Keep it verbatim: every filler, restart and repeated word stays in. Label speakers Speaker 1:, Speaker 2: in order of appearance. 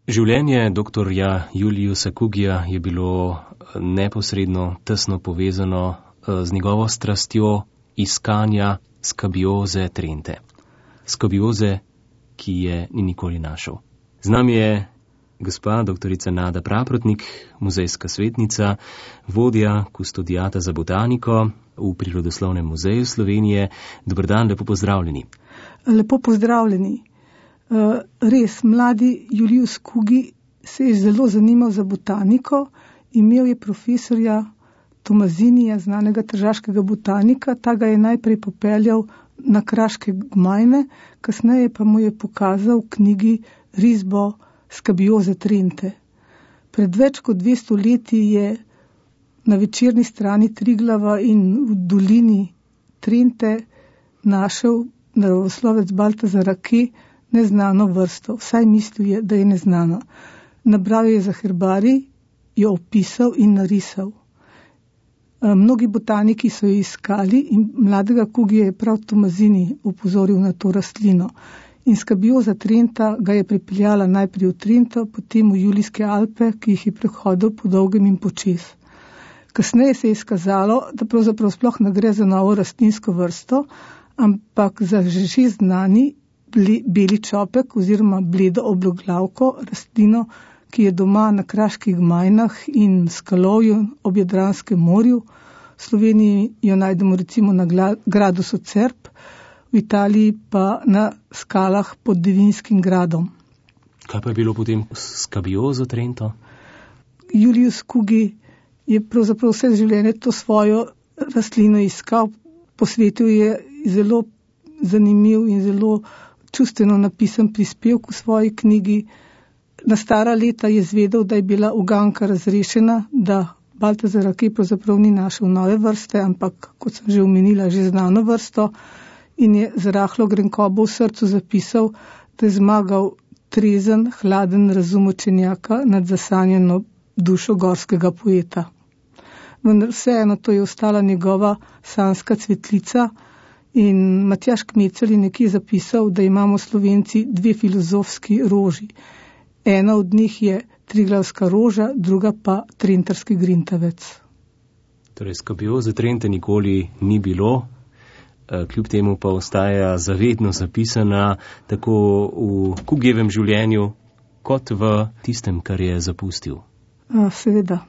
Speaker 1: Življenje doktorja Juliusa Kugija je bilo neposredno tesno povezano z njegovo strastjo iskanja skabioze Trente. Skabioze, ki je ni nikoli našel. Z nami je gospa doktorica Nada Praprotnik, muzejska svetnica, vodja kustodijata za botaniko v Prirodoslovnem muzeju Slovenije. Dober dan, lepo pozdravljeni.
Speaker 2: Lepo pozdravljeni. Res, mladi Julius Kugi se je zelo zanimal za botaniko, imel je profesorja Tomazinija, znanega tržaškega botanika, ta ga je najprej popeljal na kraške gmajne, kasneje pa mu je pokazal v knjigi risbo skabioze Trente. Pred več kot dvesto leti je na večerni strani Triglava in v dolini Trente našel naravoslovec Baltazar Rake neznano vrsto, vsaj mislil je, da je neznano. Nabral je za herbarij, jo opisal in narisal. Mnogi botaniki so jo iskali in mladega Kugija je prav Tomazini opozoril na to rastlino. In skabioza Trenta ga je pripeljala najprej v Trento, potem v Julijske Alpe, ki jih je prehodil po dolgem in počez. Kasneje se je izkazalo, da pravzaprav sploh ne gre za novo rastlinsko vrsto, ampak za že znani beli čopek oziroma bledo obloglavko, rastlino, ki je doma na kraških gmajnah in skalovju ob Jadranskem morju. V Sloveniji jo najdemo recimo na gradu Socerb, v Italiji pa na skalah pod Devinskim gradom.
Speaker 1: Kaj pa je bilo potem s skabiozo Trento?
Speaker 2: Julius Kugi je pravzaprav vse življenje to svojo rastlino iskal, posvetil je zelo zanimiv in zelo čustveno napisan prispevek v svoji knjigi. Na stara leta je zvedel, da je bila uganka razrešena, da Baltazar Rake pravzaprav ni našel nove vrste, ampak, kot sem že omenila, že znano vrsto, in je z rahlo grenkobo v srcu zapisal, da je zmagal trezen, hladen razum učenjaka nad zasanjeno dušo gorskega poeta. Vendar vseeno to je ostala njegova sanjska cvetlica. In Matjaž Kmecel je nekje zapisal, da imamo Slovenci dve filozofski roži. Ena od njih je Triglavska roža, druga pa Trentarski grintavec.
Speaker 1: Torej, skabioze Trente nikoli ni bilo, kljub temu pa ostaja zavedno zapisana tako v Kugijevem življenju, kot v tistem, kar je zapustil.
Speaker 2: Seveda.